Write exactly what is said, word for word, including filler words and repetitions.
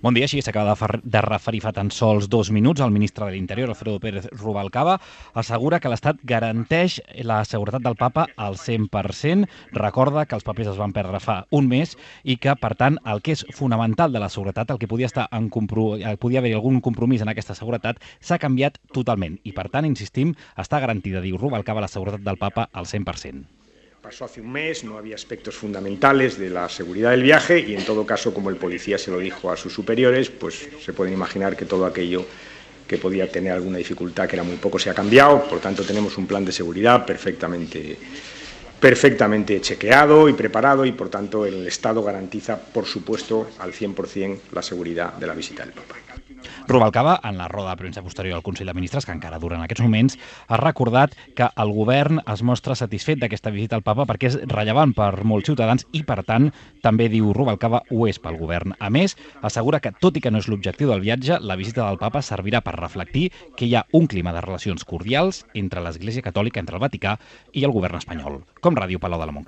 Bon dia, així s'acaba de referir fa tan sols dos minuts. El ministre de l'Interior, Alfredo Pérez Rubalcaba, assegura que l'Estat garanteix la seguretat del papa al cent per cent. Recorda que els papers es van perdre fa un mes i que, per tant, el que és fonamental de la seguretat, el que podia estar en compro... podia haver algun compromís en aquesta seguretat, s'ha canviat totalment. I, per tant, insistim, està garantida, diu Rubalcaba, la seguretat del papa al cent per cent. Pasó hace un mes, no había aspectos fundamentales de la seguridad del viaje y, en todo caso, como el policía se lo dijo a sus superiores, pues se pueden imaginar que todo aquello que podía tener alguna dificultad, que era muy poco, se ha cambiado. Por tanto, tenemos un plan de seguridad perfectamente, perfectamente chequeado y preparado y, por tanto, el Estado garantiza, por supuesto, al cien por cent la seguridad de la visita del Papa. Rubalcaba, en la roda de premsa posterior al Consell de Ministres, que encara dura en aquests moments, ha recordat que el govern es mostra satisfet d'aquesta visita al papa perquè és rellevant per molts ciutadans i, per tant, també, diu Rubalcaba, ho és pel govern. A més, assegura que, tot i que no és l'objectiu del viatge, la visita del papa servirà per reflectir que hi ha un clima de relacions cordials entre l'Església Catòlica, entre el Vaticà i el govern espanyol. Com Ràdio Palau de la Montcada.